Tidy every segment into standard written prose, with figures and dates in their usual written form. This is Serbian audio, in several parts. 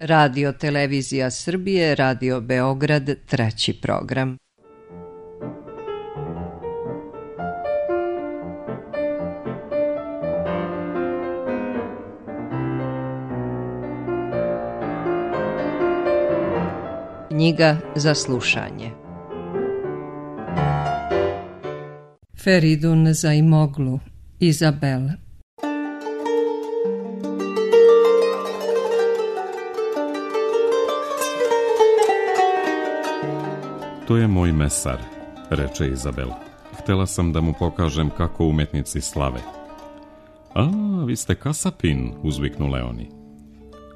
Radio Televizija Srbije, Radio Beograd, 3. program. Knjiga za slušanje. Feridun Zaimoglu, Izabel. To je moj mesar, reče Izabel. Htela sam da mu pokažem kako umetnici slave. A, vi ste kasapin, uzviknu Leoni.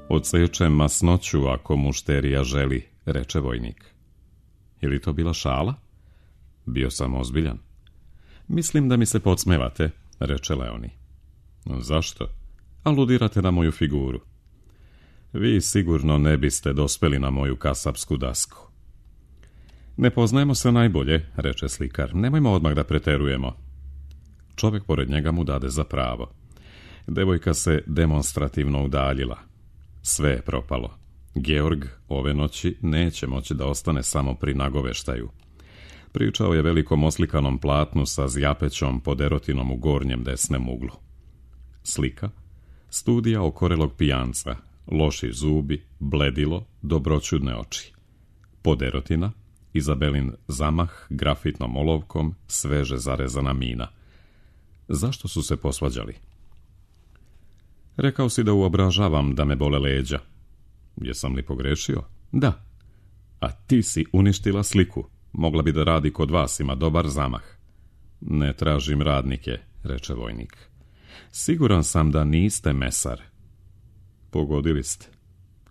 Odsečem masnoću ako mušterija želi, reče vojnik. Je li to bila šala? Bio sam ozbiljan. Mislim da mi se podsmevate, reče Leoni. Zašto? Aludirate na moju figuru. Vi sigurno ne biste dospeli na moju kasapsku dasku. Ne poznajemo se najbolje, reče slikar. Nemojmo odmah da preterujemo. Čovjek pored njega mu dade za pravo. Devojka se demonstrativno udaljila. Sve je propalo. Georg ove noći neće moći da ostane samo pri nagoveštaju. Pričao je velikom oslikanom platnu sa zjapećom pod erotinom u gornjem desnem uglu. Slika, studija okorelog pijanca, loši zubi, bledilo, dobroćudne oči. Pod erotina, Izabelin zamah grafitnom olovkom, sveže zarezana mina. Zašto su se posvađali? Rekao si da uobražavam da me bole leđa. Jesam li pogrešio? Da. A ti si uništila sliku. Mogla bi da radi kod vas, ima dobar zamah. Ne tražim radnike, reče vojnik. Siguran sam da niste mesar. Pogodili ste.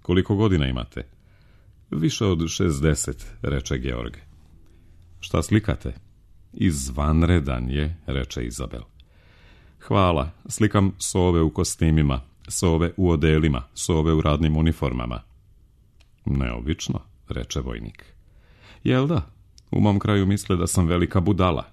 Koliko godina imate? Više od 60, reče Georg. Šta slikate? Izvanredan je, reče Izabel. Hvala, slikam sove u kostimima, sove u odelima, sove u radnim uniformama. Neobično, reče vojnik. Jel da? U mom kraju misle da sam velika budala.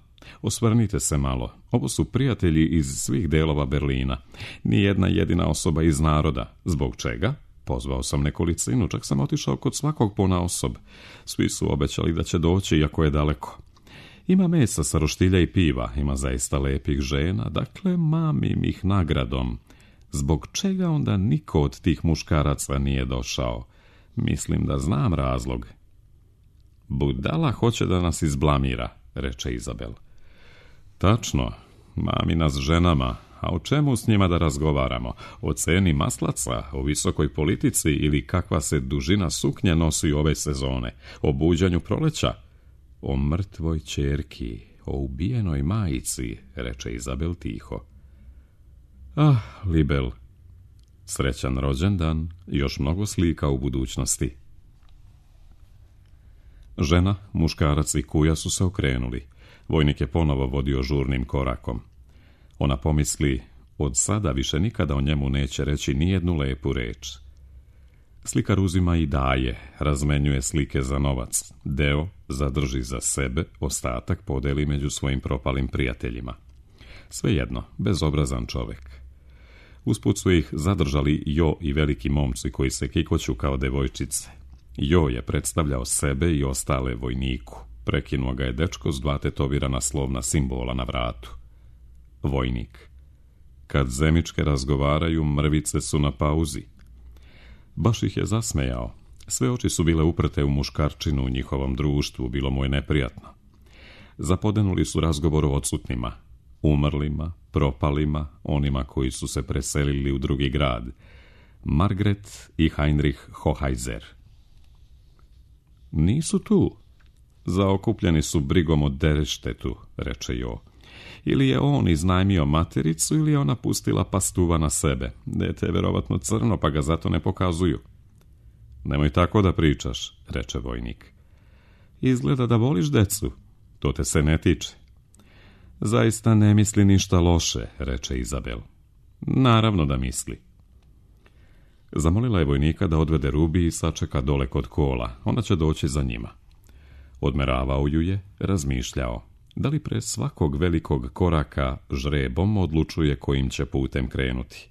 Osvrnite se malo, ovo su prijatelji iz svih delova Berlina. Nijedna jedina osoba iz naroda. Zbog čega? Pozvao sam nekolicinu, čak sam otišao kod svakog ponaosob. Svi su obećali da će doći, iako je daleko. Ima mesa sa roštilja i piva, ima zaista lepih žena, dakle mamim ih nagradom. Zbog čega onda niko od tih muškaraca nije došao? Mislim da znam razlog. Budala hoće da nas izblamira, reče Izabel. Tačno, mami nas ženama, a o čemu s njima da razgovaramo? O ceni maslaca, o visokoj politici ili kakva se dužina suknje nosi ove sezone? O buđanju proleća? O mrtvoj ćerki, o ubijenoj majici, reče Izabel tiho. Ah, Libel, srećan rođendan, još mnogo slika u budućnosti. Žena, muškarac i kuja su se okrenuli. Vojnik je ponovo vodio žurnim korakom. Ona pomisli, od sada više nikada o njemu neće reći nijednu lepu reč. Slikar uzima i daje, razmenjuje slike za novac. Deo zadrži za sebe, ostatak podeli među svojim propalim prijateljima. Svejedno, bezobrazan čovjek. Usput su ih zadržali Jo i veliki momci koji se kikoću kao devojčice. Jo je predstavljao sebe i ostale vojniku. Prekinuo ga je dečko s 2 tetovirana slovna simbola na vratu. Vojnik. Kad zemičke razgovaraju, mrvice su na pauzi. Baš ih je zasmejao. Sve oči su bile uprte u muškarčinu u njihovom društvu, bilo mu je neprijatno. Zapodenuli su razgovor o odsutnima, umrlima, propalima, onima koji su se preselili u drugi grad. Margret i Heinrich Hoheiser. Nisu tu. Zaokupljeni su brigom o Dereštetu, reče Jo. Ili je on iznajmio matericu ili je ona pustila pastuva na sebe. Dete je verovatno crno, pa ga zato ne pokazuju. Nemoj tako da pričaš, reče vojnik. Izgleda da voliš decu. To te se ne tiče. Zaista ne misli ništa loše, reče Izabel. Naravno da misli. Zamolila je vojnika da odvede Rubi i sačeka dole kod kola. Ona će doći za njima. Odmeravao ju je, razmišljao. Da li pre svakog velikog koraka žrebom odlučuje kojim će putem krenuti?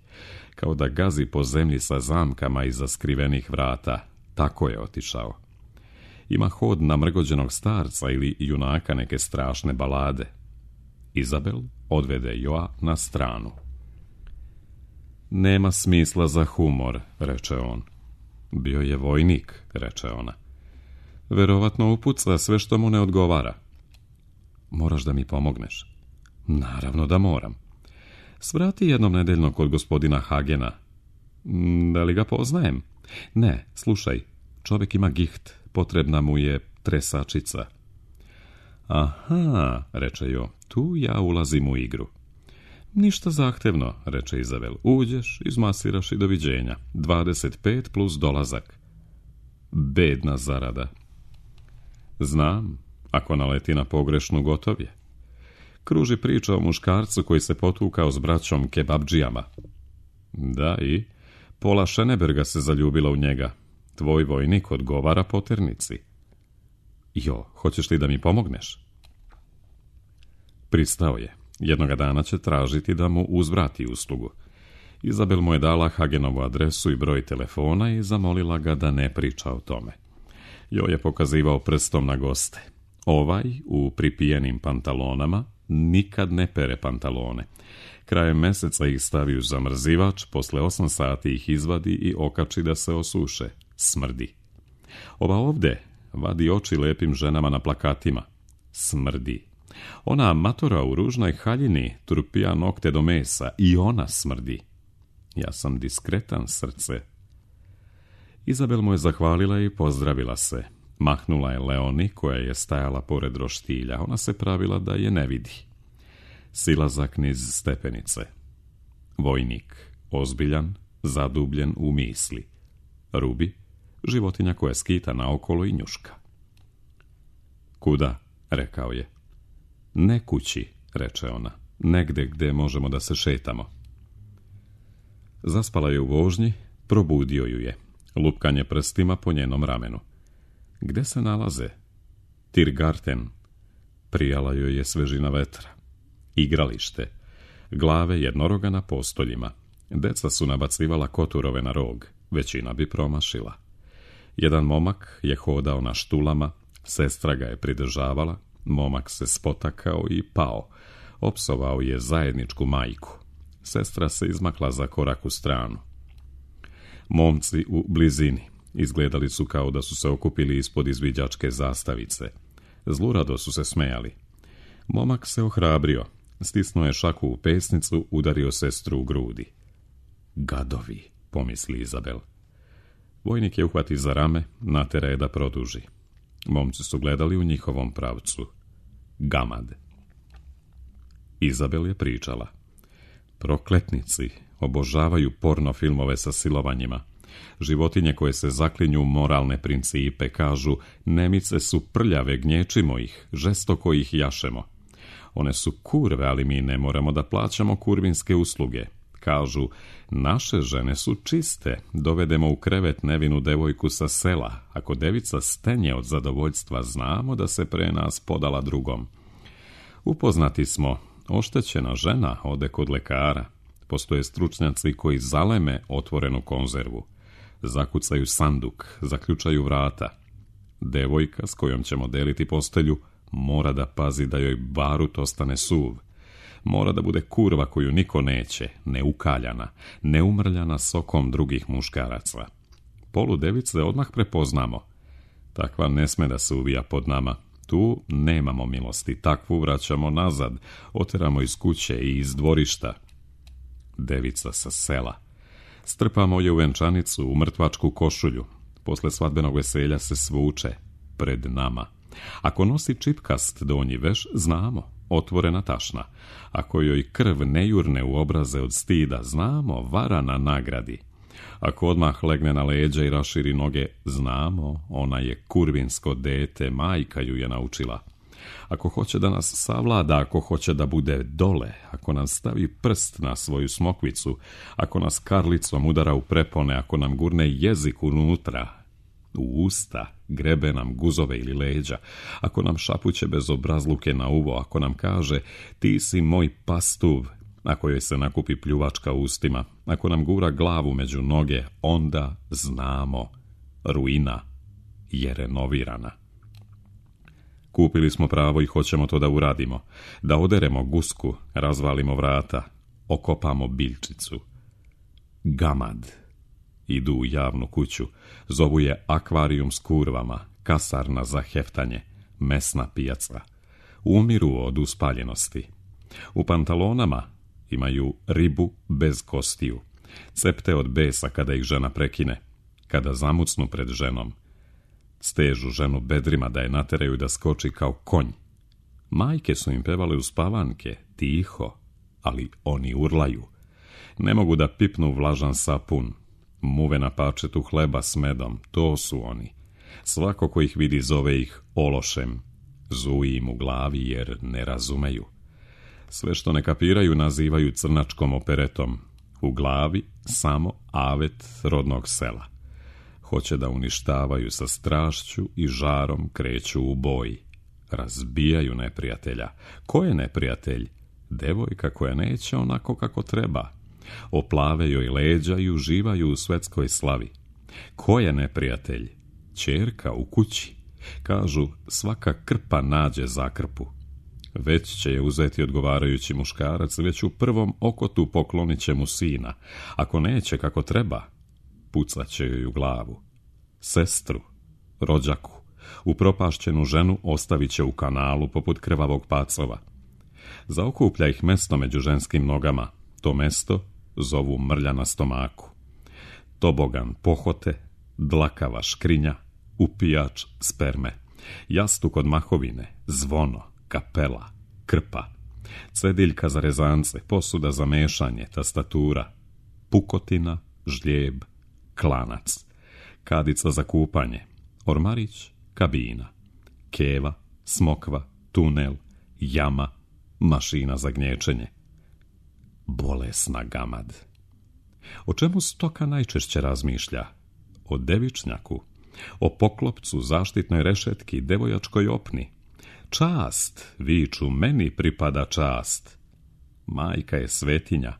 Kao da gazi po zemlji sa zamkama iza skrivenih vrata. Tako je otišao. Ima hod namrgođenog starca ili junaka neke strašne balade. Izabel odvede Joa na stranu. Nema smisla za humor, reče on. Bio je vojnik, reče ona. Verovatno upuca sve što mu ne odgovara. Moraš da mi pomogneš. Naravno da moram. Svrati jednom nedeljno kod gospodina Hagena. Da li ga poznajem? Ne, slušaj, čovjek ima giht, potrebna mu je tresačica. Aha, reče Jo, tu ja ulazim u igru. Ništa zahtevno, reče Izabel. Uđeš, izmasiraš i doviđenja. 25 plus dolazak. Bedna zarada. Znam, ako naleti na pogrešnu, gotov je. Kruži priča o muškarcu koji se potukao s braćom kebabdžijama. Da, i Pola Šeneberga se zaljubila u njega. Tvoj vojnik odgovara poternici. Jo, hoćeš li da mi pomogneš? Pristao je. Jednoga dana će tražiti da mu uzvrati uslugu. Izabel mu je dala Hagenovu adresu i broj telefona i zamolila ga da ne priča o tome. Jo je pokazivao prstom na goste. Ovaj, u pripijenim pantalonama, nikad ne pere pantalone. Krajem meseca ih stavi u zamrzivač, posle 8 sati ih izvadi i okači da se osuše. Smrdi. Ova ovde vadi oči lepim ženama na plakatima. Smrdi. Ona matora u ružnoj haljini turpija nokte do mesa i ona smrdi. Ja sam diskretan, srce. Izabel mu je zahvalila i pozdravila se. Mahnula je Leoni, koja je stajala pored roštilja. Ona se pravila da je ne vidi. Silazak niz stepenice. Vojnik, ozbiljan, zadubljen u misli. Rubi, životinja koja skita naokolo i njuška. Kuda, rekao je. Ne kući, reče ona, negde gde možemo da se šetamo. Zaspala je u vožnji, probudio ju je. Lupkanje prstima po njenom ramenu. Gde se nalaze? Tiergarten. Prijala joj je svežina vetra. Igralište. Glave jednoroga na postoljima. Deca su nabacivala koturove na rog. Većina bi promašila. Jedan momak je hodao na štulama, sestra ga je pridržavala, momak se spotakao i pao. Opsovao je zajedničku majku. Sestra se izmakla za korak u stranu. Momci u blizini izgledali su kao da su se okupili ispod izviđačke zastavice. Zlurado su se smejali. Momak se ohrabrio, stisnuo je šaku u pesnicu, udario sestru u grudi. Gadovi, pomisli Izabel. Vojnik je uhvati za rame, natera je da produži. Momci su gledali u njihovom pravcu. Gamad. Izabel je pričala. Prokletnici obožavaju porno filmove sa silovanjima. Životinje koje se zaklinju u moralne principe kažu, nemice su prljave, gnječimo ih, žestoko ih jašemo. One su kurve, ali mi ne moramo da plaćamo kurvinske usluge. Kažu, naše žene su čiste, dovedemo u krevet nevinu devojku sa sela. Ako devica stenje od zadovoljstva, znamo da se pre nas podala drugom. Upoznati smo, oštećena žena ode kod lekara. Postoje stručnjaci koji zaleme otvorenu konzervu. Zakucaju sanduk, zaključaju vrata. Devojka s kojom ćemo deliti postelju mora da pazi da joj barut ostane suv. Mora da bude kurva koju niko neće, neukaljana, neumrljana sokom drugih muškaraca. Polu device odmah prepoznamo. Takva ne sme da se uvija pod nama. Tu nemamo milosti, takvu vraćamo nazad, oteramo iz kuće i iz dvorišta. Devica sa sela. Strpamo je u venčanicu, u mrtvačku košulju. Posle svadbenog veselja se svuče pred nama. Ako nosi čipkast donji veš, znamo, otvorena tašna. Ako joj krv ne jurne u obraze od stida, znamo, vara na nagradi. Ako odmah legne na leđa i raširi noge, znamo, ona je kurvinsko dete, majka ju je naučila. Ako hoće da nas savlada, ako hoće da bude dole, ako nam stavi prst na svoju smokvicu, ako nas karlicom udara u prepone, ako nam gurne jezik unutra, u usta, grebe nam guzove ili leđa, ako nam šapuće bez obrazluke na uvo, ako nam kaže, ti si moj pastuv, na kojoj se nakupi pljuvačka ustima, ako nam gura glavu među noge, onda znamo, ruina je renovirana. Kupili smo pravo i hoćemo to da uradimo, da oderemo gusku, razvalimo vrata, okopamo biljčicu. Gamad. Idu u javnu kuću, zovu je akvarijum s kurvama, kasarna za heftanje, mesna pijaca. Umiru od uspaljenosti. U pantalonama imaju ribu bez kostiju, cepte od besa kada ih žena prekine, kada zamucnu pred ženom. Stežu ženu bedrima da je nateraju da skoči kao konj. Majke su im pevale uspavanke, tiho, ali oni urlaju. Ne mogu da pipnu vlažan sapun, muve na pačetu hleba s medom, to su oni. Svako ko ih vidi zove ih ološem, zuji im u glavi jer ne razumeju. Sve što ne kapiraju nazivaju crnačkom operetom, u glavi samo avet rodnog sela. Hoće da uništavaju sa strašću i žarom kreću u boj. Razbijaju neprijatelja. Ko je neprijatelj? Devojka koja neće onako kako treba. Oplave joj leđa i uživaju u svetskoj slavi. Ko je neprijatelj? Ćerka u kući. Kažu, svaka krpa nađe zakrpu. Već će je uzeti odgovarajući muškarac, već u prvom okotu poklonit će mu sina. Ako neće kako treba, pucat će joj u glavu. Sestru, rođaku, upropašćenu ženu ostavit će u kanalu poput krvavog pacova. Zaokuplja ih mesto među ženskim nogama. To mesto zovu mrlja na stomaku. Tobogan pohote, dlakava škrinja, upijač sperme, jastuk od mahovine, zvono, kapela, krpa, cediljka za rezance, posuda za mešanje, tastatura, pukotina, žljeb, klanac, kadica za kupanje, ormarić, kabina, keva, smokva, tunel, jama, mašina za gnječenje. Bolesna gamad. O čemu stoka najčešće razmišlja? O devičnjaku, o poklopcu, zaštitnoj rešetki, devojačkoj opni. Čast, viču, meni pripada čast. Majka je svetinja,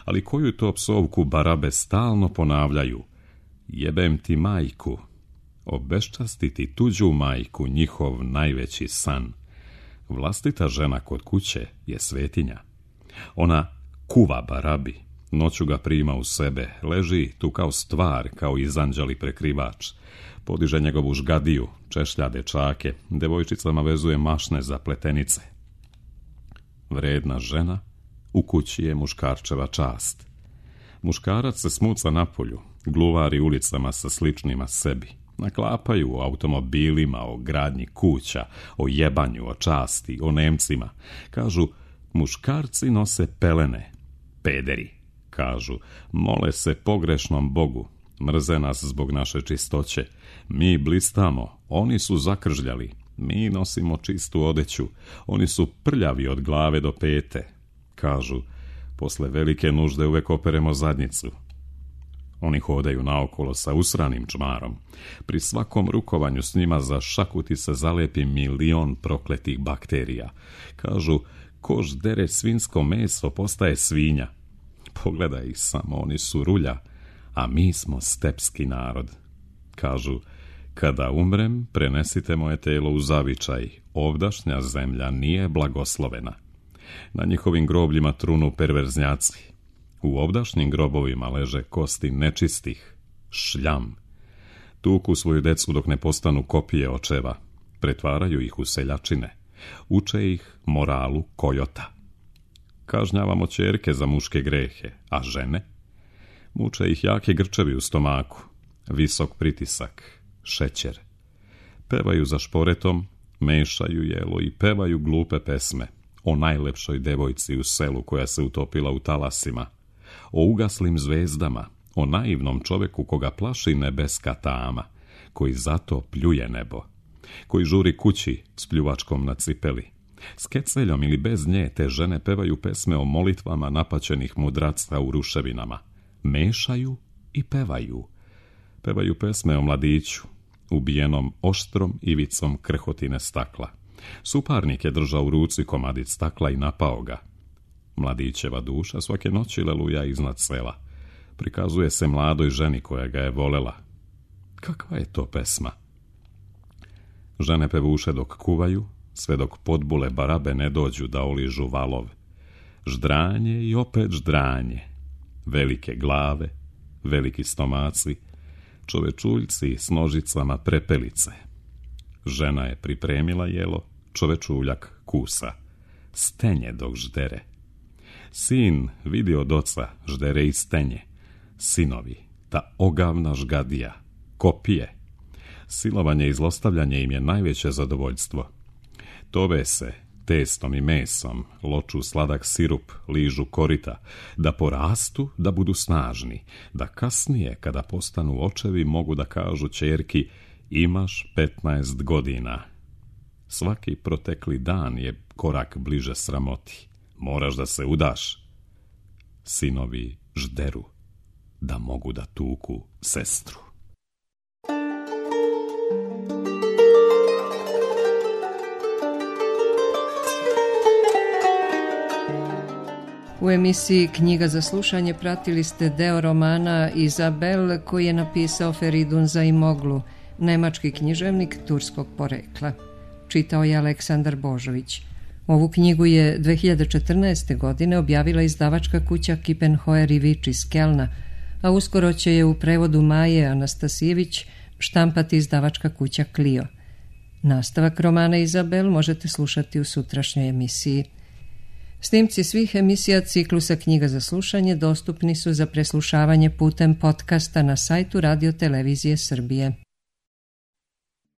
ali koju to psovku barabe stalno ponavljaju? Jebem ti majku. Obeščastiti tuđu majku, njihov najveći san. Vlastita žena kod kuće je svetinja. Ona kuva barabi, noću ga prima u sebe, leži tu kao stvar, kao izanđali prekrivač. Podiže njegovu žgadiju, češlja dečake, devojčicama vezuje mašne za pletenice. Vredna žena, u kući je muškarčeva čast. Muškarac se smuca napolju, gluvari ulicama sa sličnima sebi. Naklapaju o automobilima, o gradnji kuća, o jebanju, o časti, o Nemcima. Kažu, muškarci nose pelene. Pederi, kažu, mole se pogrešnom Bogu. Mrze nas zbog naše čistoće. Mi blistamo, oni su zakržljali. Mi nosimo čistu odeću. Oni su prljavi od glave do pete. Kažu, posle velike nužde uvek operemo zadnjicu. Oni hodaju naokolo sa usranim čmarom. Pri svakom rukovanju s njima za šakuti se zalepi 1.000.000 prokletih bakterija. Kažu, kož dere svinsko meso postaje svinja. Pogledaj ih samo, oni su rulja, a mi smo stepski narod. Kažu, kada umrem, prenesite moje telo u zavičaj. Ovdašnja zemlja nije blagoslovena. Na njihovim grobljima trunu perverznjaci. U ovdašnjim grobovima leže kosti nečistih, šljam. Tuku svoju decu dok ne postanu kopije očeva. Pretvaraju ih u seljačine. Uče ih moralu kojota. Kažnjavamo ćerke za muške grehe, a žene? Muče ih jake grčevi u stomaku, visok pritisak, šećer. Pevaju za šporetom, mešaju jelo i pevaju glupe pesme o najlepšoj devojci u selu koja se utopila u talasima, o ugaslim zvezdama, o naivnom čoveku koga plaši nebeska tama, koji zato pljuje nebo, koji žuri kući s pljuvačkom na cipeli. S keceljom ili bez nje te žene pevaju pesme o molitvama napaćenih mudraca u ruševinama. Mešaju i pevaju. Pevaju pesme o mladiću, ubijenom oštrom ivicom krhotine stakla. Suparnik je držao u ruci komadić stakla i napao ga. Mladićeva duša svake noći leluja iznad sela. Prikazuje se mladoj ženi koja ga je volela. Kakva je to pesma? Žene pevuše dok kuvaju, sve dok podbule barabe ne dođu da oližu valov. Ždranje i opet ždranje. Velike glave, veliki stomaci, čovečuljci s nožicama prepelice. Žena je pripremila jelo, čovečuljak kusa. Stenje dok ždere. Sin vidi od oca ždere i stenje. Sinovi, ta ogavna žgadija, kopije. Silovanje i zlostavljanje im je najveće zadovoljstvo. Tove se testom i mesom, loču sladak sirup, ližu korita, da porastu, da budu snažni, da kasnije, kada postanu očevi, mogu da kažu ćerki: imaš 15 godina. Svaki protekli dan je korak bliže sramoti. Moraš da se udaš. Sinovi žderu, da mogu da tuku sestru. U emisiji Knjiga za slušanje pratili ste deo romana Izabel koji je napisao Feridun Zaimoglu, nemački književnik turskog porekla. Čitao je Aleksandar Božović. Ovu knjigu je 2014. godine objavila izdavačka kuća Kippenhoer i Vič iz Kelna, a uskoro će je u prevodu Maje Anastasijević štampati izdavačka kuća Clio. Nastavak romana Izabel možete slušati u sutrašnjoj emisiji. Snimci svih emisija ciklusa Knjiga za slušanje dostupni su za preslušavanje putem podcasta na sajtu Radio Televizije Srbije.